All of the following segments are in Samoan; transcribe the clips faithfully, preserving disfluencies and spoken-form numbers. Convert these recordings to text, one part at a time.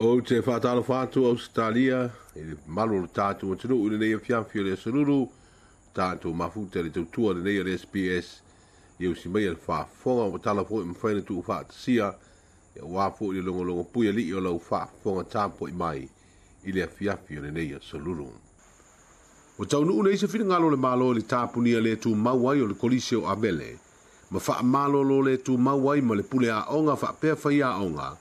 Ou te faatalofa atu Ausetalia i le mamalu o le tatou atunuu i lenei afiafi o le aso Lulu, tatou mafuta i le tautua lenei a le S B S ia usi mai le faafofoga ua tala foi mafai ona tuufaatasia aua foi le logologo pui alii o lau faafofoga tapuai mai i le afiafi o lenei aso Lulu. Ua taunuu nei se finagalo o le Malo i le tapunia le tumau ai o le Kolisi o Avele ma faamalolo le tumau ai ma le pule aoga faapea faiaoga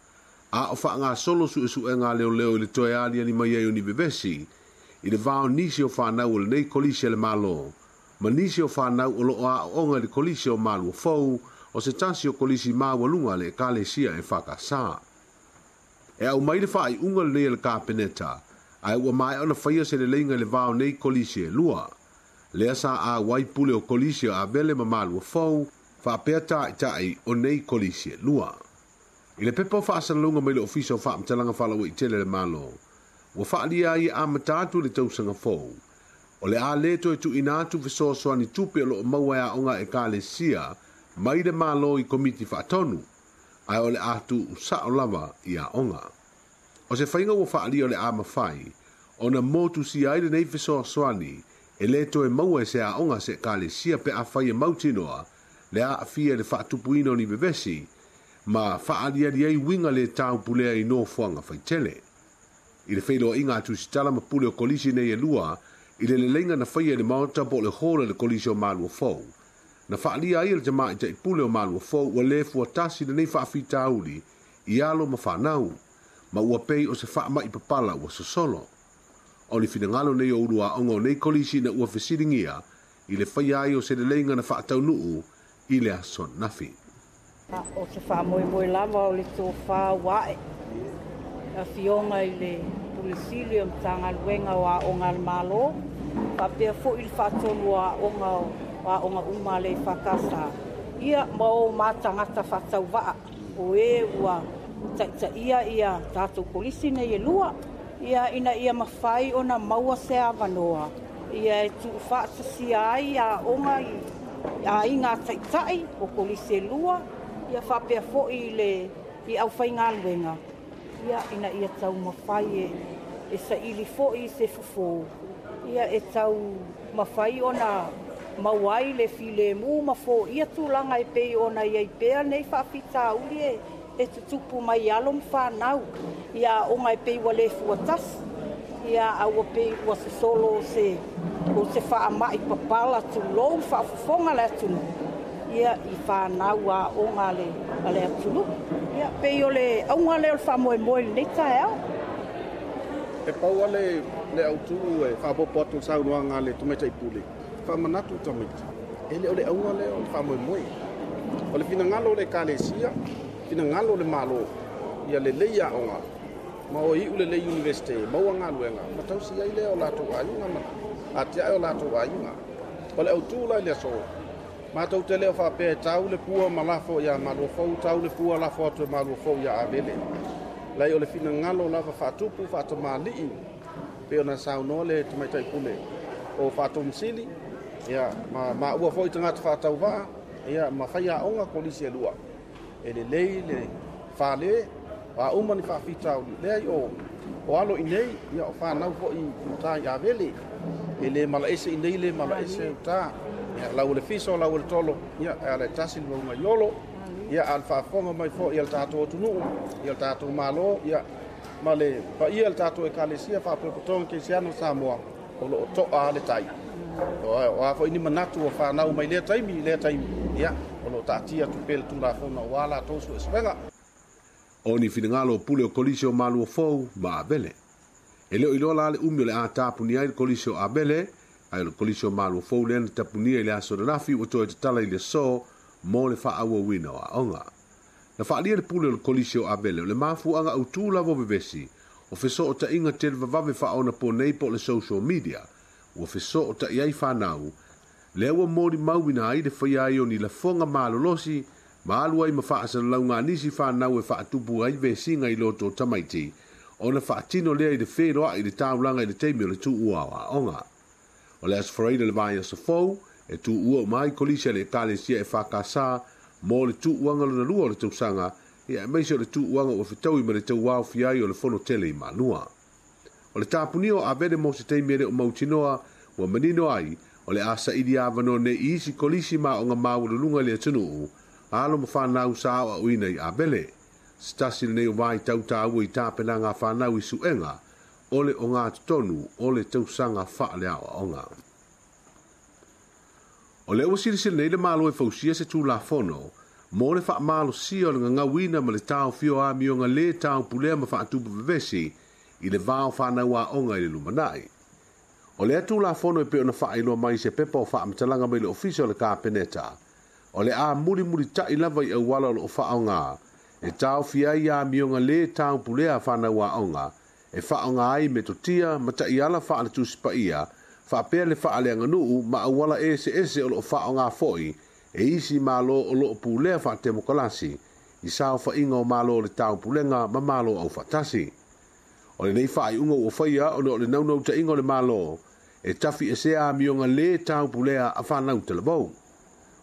a o faagasolo suesuega leoleo i le toe aliali mai ai o ni vevesi i le va o nisi o fanau o lenei Kolisi a le Malo ma nisi o fanau o loo aooga i le Kolisi o Malua Fou o se tasi o kolisi maualuga a le Ekalesia e Fakasa. E aumai le faaiuga lenei a le Kapeneta ae ua maea ona faia se leleiga i le va o nei kolisi e lua. Lea sa auai pule o kolisi o Avele ma Malua Fou faapea taitai o nei kolisi e lua. I le pepa o faasalalauga mai le Ofisa o Faamatalaga Faalauaitele a le Malo, ua faalia ai e amata atu le tausaga fou. O le a le toe tuuina atu fesoasoani tupe o loo maua e aoga Ekalesia mai le Malo i komiti faatonu, ae o le a tuusao lava i aoga. O se faiga ua faalia o le a mafai ona motusia ai lenei fesoasoani e le toe maua e se aoga se Ekalesia pe afai e mautinoa le aafia i le faatupuina o ni vevesi ma faaliali ai uiga le taupulea i nofoaga faitele. I le feiloaiga a tusitala ma pule o kolisi nei e lua i le leleiga na faia i le maota po o le hall e le Kolisi o Malua Fou. Na faalia ai e le tamaitai pule o Malua Fou ua le fuatasi lenei faafitauli i alo ma fanau, ma ua pei o se faamai papala ua sosolo. O le finagalo nei o ulu aoga o nei kolisi na ua fesiligia i le faia ai o se leleiga na faataunuu i le aso ananafi. O se faamoemoe lava o le tofā ua ae afioga i le Pule Sili o Matagaluega o Aoga a le Malo, faapea foi le faatonu o aoga o aoga uma a le Fakasa, ia ma o matagata faatauvaa o e ua taitaia ia tatou kolisi nei e lua, ia ina ia mafai ona maua se avanoa ia e tuufaatasia ai aoga i aiga taitai o kolisi e lua, ia faapea foi le i aufaigaluega, ia ina ia taumafai e, e saili foi se fofo, ia e taumafai ona maua ai le filemu ma foia tulaga e pei ona iai pea nei faafitauli e, e tutupu mai alo ma fanau, ia aoga e pei ua le fuatasi, ia a ua pei ua sosolo se, o se faamai papala tulou faafofoga le atunuu, ia i fanau aoga a le, a le atunuu. Ia pei o le auga lea o le faamoemoe i lenei taeao. E pau ale le autu e faapopo atu le saunoaga a le tamaitai pule, faamanatu i tamaiti. E le o le auga lea o le faamoemoe. O le finagalo o le Ekalesia, finagalo o le Malo, ia lelei aoga, ma o iu lelei universite, maua galuega, ma tausi ai lea o latou aiga ma atiae o latou aiga. O le autu la i le aso, matou te leo faapea e tau le pua ma lafo ia Malua Fou, tau le pua lafo atu e Malua Fou ia Avele. Lai o le finagalo lava faatupu faatamalii pei ona saunoa le tamaitai pule o faatomusili, ia ma maua foi tagata faatauvaa, ia ma faiaoga kolisi e lua. E lelei le fale, a uma ni faafitauli. Leai o, o alo i nei, ia o fanau foi i uta i Avele. E le malaese i nei le malaese uta. Ia lau le fiso, lau le tolo, ia e ala e tasi le maunga i olo. Ia a le faafofoga mai foi ia le tatou atunuu, ia le tatou Malo, ia ma le paia le tatou Ekalesia Faalapotopotoga Kerisiano o Samoa, o loo toa le tai. O a foi ni manatu o fanau mai lea taimi, lea taimi, ia o loo taatia atu pea le Tulafono aua latou suesuega. O ni finagalo o pule o Kolisi o Malua Fou ma Avele. E leo iloa la le umi o le a tapunia ai le Kolisi o Avele, ae o le Kolisi o Malua Fou lea na tapunia i le aso ananafi ua toe tatala i le aso mo le faaauauina o aoga. Na faalia le pule o le Kolisi o Avele o le mafuaaga autū lava o vevesi o fesootaiga televavave faaonaponei po o le social media ua fesootai ai fanau lea ua molimauina ai le faia ai o ni lafoga malolosi ma alu ai ma faasalalauga a nisi fanau e faatupu ai vesiga i loto o tamaiti ona faatino lea i le feloai i le taulaga i le taimi o le tuua o aoga. O le aso Faraile le vaiaso fou e tuua uma ai kolisi a le Ekalesia e Fakasa mo le tuuaga lona lua o le tausaga Ia aemaise o le tuuaga ua fetaui ma le tauaofia ai o le fono tele i Malua. O le tapunia o Avele mo se taimi e le o mautinoa ua manino ai o le a saili avanoa nei i isi kolisi ma aoga maualuluga i le atunuu alo ma fanau sa aoaoina i Avele. Se tasi lenei o vaitau taua i tapenaga a fanau i suega o le ogatotonu o le tausaga faaleaoaoga. O lea ua silasila nei le Malo e fausia se Tulafono mo le faamalosia o le gagauina ma le taofia o amioga lē taupulea ma faatupu vevesi i le va o fanau aoga i le lumanai. O lea Tulafono e pei ona faailoa mai se pepa o faamatalaga mai le Ofisa o le Kapeneta, o le a mulimulita'i lava i auala o loo faaaoga e taofia ai amioga lē taupulea a fanau aoga e faaaoga ai metotia ma ta'iala faaletusi paia faapea le faaleaganuu ma auala eseese o loo faaaoga fo'i e isi malo o loo pulea faatemokalasi i saofaiga o malo o le taupulega ma malo aufaatasi. O lenei faaiuga ua faia ona o le naunautaiga o le Malo e tafiesea amioga lē taupulea a fanau talavou.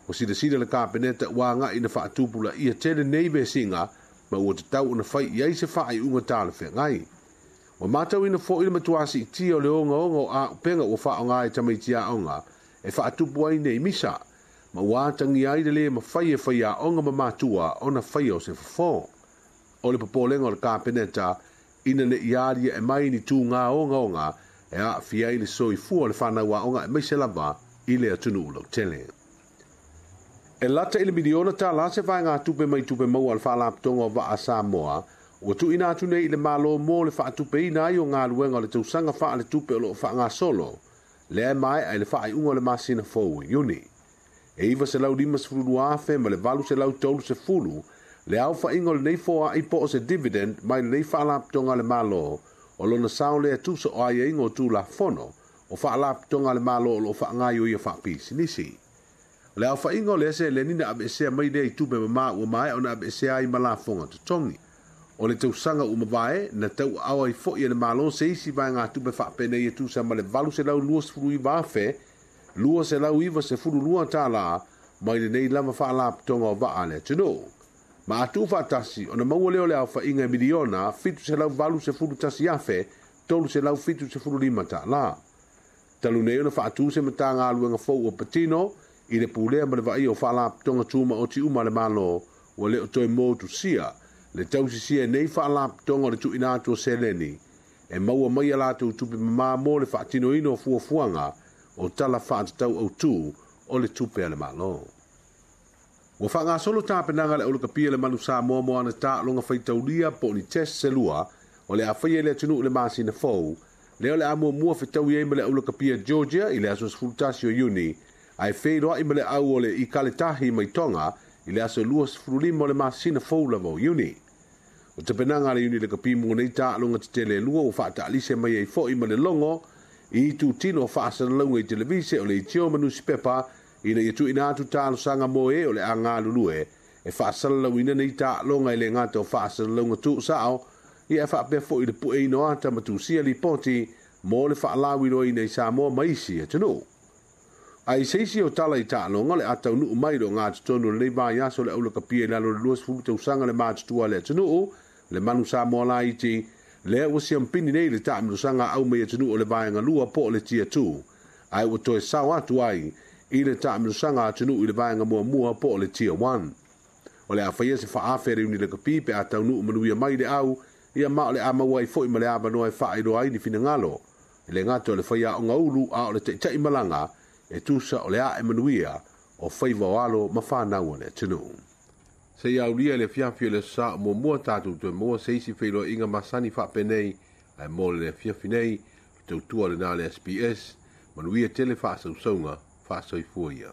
Ua silasila le Kapeneta ua aga'i na faatupulaia tele nei vesiga ma ua tatau ona fai i ai se faaiuga talafeagai. Ua matauina fo'i le matuā siitia o le ogaoga o auupega ua faaaoga e tamaiti aoga e faatupu ai nei misa, ma ua atagia ai le lē mafai e faiaoga ma matua ona faia o se fofo. O le popolega o le Kapeneta ina ne'i aliae mai ni tugā ogaoga e aafia ai le soifua o le fanau aoga aemaise lava i le atunuu lautele. E lata i le miliona tālā se vaegatupe mai tupe maua a le Faalapotopotoga o Vaa Samoa ua tuuina atu nei i le Malo mo le faatupeina ai o galuega o le tausaga faaletupe o loo faagasolo lea e maea i le faaiuga o le masina fou i Iuni. E iva selau lima sefulu lua afe ma le valu selau tolu sefulu le aofaiga o lenei foaai po o se dividend mai lenei faalapotopotoga a le Malo o lona sao lea tusa o aiaiga o Tulafono o faalapotopotoga a le Malo o loo faagaioia faapisinisi. O le aofaiga o lea seleni na aveesea mai lea i tupe mamā ua maea ona aveesea ai ma lafoga totogi. O le tausaga ua mavae na tauaao ai fo'i e le Malo se isi vaegatupe faapenei e tusa ma le valu selau luasefulu iva afe lua selau iva sefulu lua tālā mai lenei lava faalapotopotoga o vaa a le atunuu. Ma a tuufaatasi ona maua lea o le aofaiga e miliona fitu selau valu sefulu tasi afe tolu selau fitu sefulu lima tālā. Talu nei ona faatū se matagaluega fou ua patino i le pulea ma le vaaia o faalapotopotoga tumaoti uma a le Malo ua le o toe motusia le tausisia e nei faalapotopotoga o le tuuina atu o seleni e maua mai a latou tupe mamā mo le faatinoina o fuafuaga o tala faatatau autū o le tupe a le Malo. Ua faagasolo tapenaga le aulakapia le manu Samoa mo ana taaloga faitaulia po o ni test selua o le a faia i le atunuu i le masina fou lea o le a muamua fetaui ai ma le aulakapia Georgia i le aso sefulu tasi o Iuni ae feiloai ma le au o le Ikaletahi mai Tonga i le aso luasefulu lima o le masina fou lava o Iuni. O tapenaga a le Iuni Lakapi mo nei taaloga tetele e lua ua faataalise mai ai fo'i ma le logo i itutino o faasalalauga i televise o le itio ma nusipepa ina ia tuuina atu talosaga mo e o le a galulue e faasalalauina nei taaloga e le gata o faasalalauga tuusao ia e faapea fo'i le pueina o ata ma tusia lipoti mo le faalauiloaina i Samoa ma isi atunuu. Ae i se isi o tala i taaloga le a taunuu mai le ogatotonu o lenei vaiaso le aulakapia i lalo o le luasefulu tausaga le matutua a le atunuu le manu Samoa laiti lea ua siampini nei le taamilosaga au mai atunuu o le vaega lua po o le Tier two ae ua toe sao atu ai i le taamilosaga atunuu i le vaega muamua po o le Tier one. O le a faia se faaafe a le Iuni Lakapi pe a taunuu manuia mai le au ia ma o le a maua ai fo'i ma le avanoa e faailoa ai ni finagalo e le gata o le faiaoga ulu a o le taita'i malaga e tusa o le ae manuia o faiva o alo ma fanau a le atunuu. Se i aulia i le afiafi o le aso Sa o muamua tatou toe maua se isi feiloaiga masani faapenei ae mo le afiafi nei le tautua lenā le S B S manuia tele faasausauga faasoifua ia.